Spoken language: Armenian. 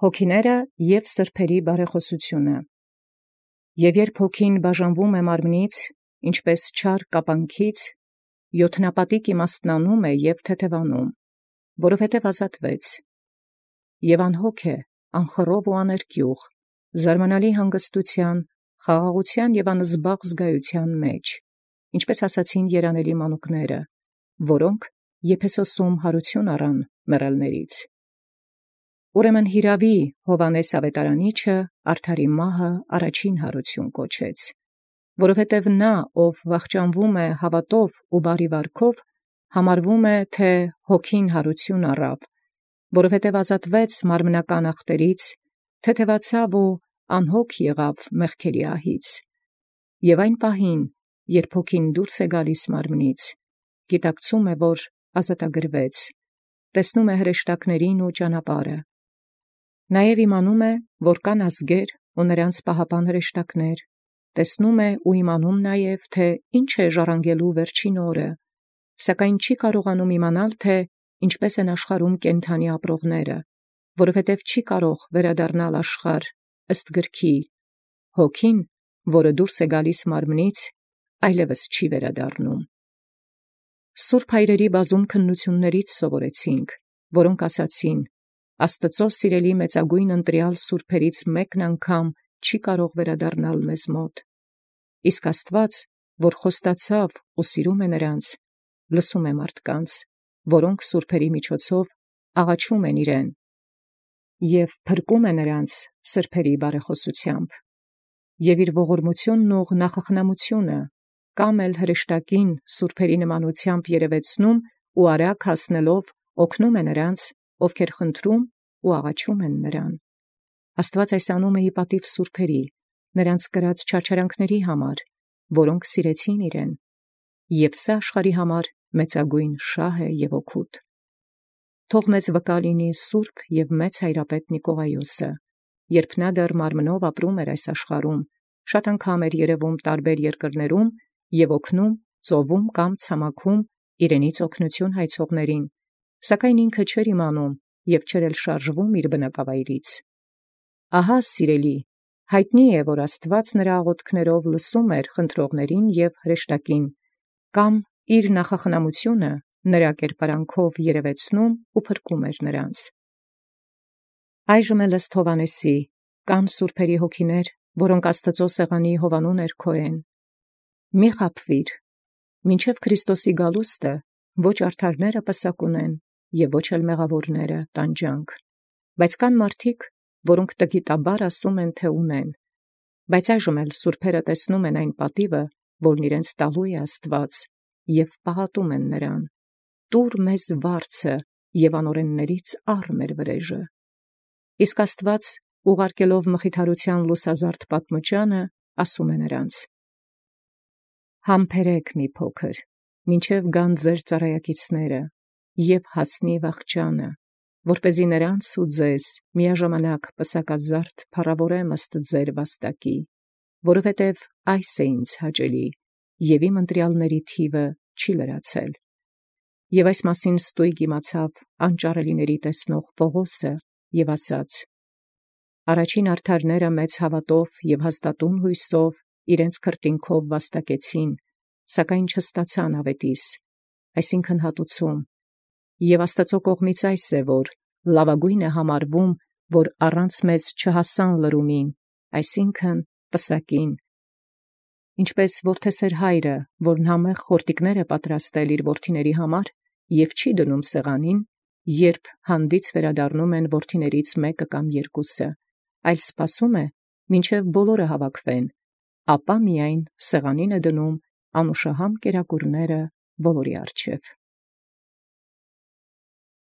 Հոգիները և սրբերի բարեխոսությունը։ Եւ երբ հոգին բաժանվում է մարմնից, ինչպէս չար կապանքից, յոթնապատիկ իմաստնանում է և թեթևանում, որովհետև ազատվեց, և անհոգ է, անխռով ու աներկյուղ, զարմանալի հանգստութեան, խաղաղութեան և անզբաղ զգայութեան մեջ, ինչպէս ասացին երանելի մանուկները, որոնք Եփեսոսում յարություն առան մեռելներից։ Ուրեմն յիրաւի Հովհաննես Ավետարանիչը արդարի մահը առաջին յարություն կոչեց, որովհետև նա, ով վախճանվում է հաւատով ու բարի վարքով, համարվում է, թէ հոգին յարություն առաւ, որովհետև ազատվեց մարմնական ախտերից, թեթևացաւ ու անհոգ եղաւ մեղքերի ահից, և այն պահին, երբ հոգին դուրս է գալիս մարմնից, գիտակցում է, որ ազատագրվեց, տեսնում է հրեշտակներին ու ճանապարհը, նաև իմանում է, որ կան ազգեր ու նրանց պահապան հրեշտակներ, տեսնում է ու իմանում նաև, թե ինչ է ժառանգելու վերջին օրը, սակայն չի կարողանում իմանալ, թե ինչպես են աշխարհում կենդանի ապրողները, որովհետև չի կարող վերադառնալ աշխարհ ըստ գրքի. հոգին, որը դուրս է գալիս մարմնից, այլևս չի վերադառնում։ Սուրբ հայրերի բազում քննություններից սովորեցինք, որոնք ասացին. Աստծո սիրելի մեծագույն ընտրյալ սուրբերից մեկն անգամ չի կարող վերադառնալ մեզ մոտ, իսկ Աստված, որ խոստացավ ու սիրում է նրանց, լսում է մարդկանց, որոնք սուրբերի միջոցով աղաչում են իրեն, և փրկում է նրանց սրբերի բարեխոսությամբ, և իր ողորմութիւնն ու նախախնամութիւնը կամ էլ հրեշտակին սուրբերի նմանութեամբ երևեցնում ու արագ հասնելով օգնում է նրանց, ովքեր խնդրում ու աղաչում են նրան։ Աստուած այս անում է ի պատիւ սուրբերի, նրանց կրած չարչարանքների համար, որոնք սիրեցին իրեն, և սա աշխարհի համար մեծագույն շահ է և օգուտ։ Թող մեզ վկա լինի սուրբ և մեծ հայրապետ Նիկողայոսը, երբ նա դեռ մարմնով ապրում էր այս աշխարհում, շատ անգամ էր երևում տարբեր երկրներում և օգնում, ծովում կամ ցամաքում իրենից օգնություն հայցողներին, սակայն ինքը չէր իմանում և չէր էլ շարժվում իր բնակավայրից։ Ահա, սիրելի, հայտնի է, որ Աստված նրա աղոթքներով լսում էր խնդրողներին և հրեշտակին, կամ իր նախախնամութիւնը նրա կերպարանքով երևեցնում ու փրկում էր նրանց։ Այժմ էլ ըստ Հովհաննեսի կան սուրբերի հոգիներ, որոնք Աստծո սեղանի հովանու ներքո են։ Մի խաբվիր, մինչև Քրիստոսի գալուստը ոչ արդարները պսակ ունեն և ոչ էլ մեղավորները տանջանք, բայց կան մարդիկ, որոնք տգիտաբար ասում են, թե ունեն, բայց այժմ էլ սուրբերը տեսնում են այն պատիվը, որն իրենց տալու է Աստված, և պաղատում են նրան. «Տուր մեզ վարձը և անօրեններից առ մեր վրեժը»։ Իսկ Աստված, ուղարկելով մխիթարութեան լուսազարդ պատմուճանը, ասում է նրանց. «Համբերեք մի փոքր, մինչև գան ձեր ծառայակիցները, և հասնի վախճանը, որպեսզի նրանց ու ձեզ միաժամանակ պսակազարդ փառաւորեմ ըստ ձեր վաստակի, որովհետև այս է ինձ հաճելի, և իմ ընտրյալների թիվը չի լրացել»։ Եւ այս մասին ստույգ իմացավ անճարելիների տեսնող Պողոսը և ասաց. «Առաջին արդարները մեծ հաւատով և հաստատուն հույսով իրենց քրտինքով վաստակեցին, սակայն չստացան աւետիս, այսինքն հատուցում, և Աստուծոյ կողմից այս է, որ լաւագոյն է համարվում, որ առանց մեզ չհասան լրումին, այսինքն պսակին։ Ինչպէս որդեսէր հայրը, որն համեղ խորտիկներ է պատրաստել իր որդիների համար և չի դնում սեղանին, երբ յանդիձ վերադառնում են որդիներից մեկը կամ երկուսը, այլ սպասում է, մինչև բոլորը հավաքվեն, ապա միայն սեղանին է դնում անուշահամ կերակուրները բոլորի առջև։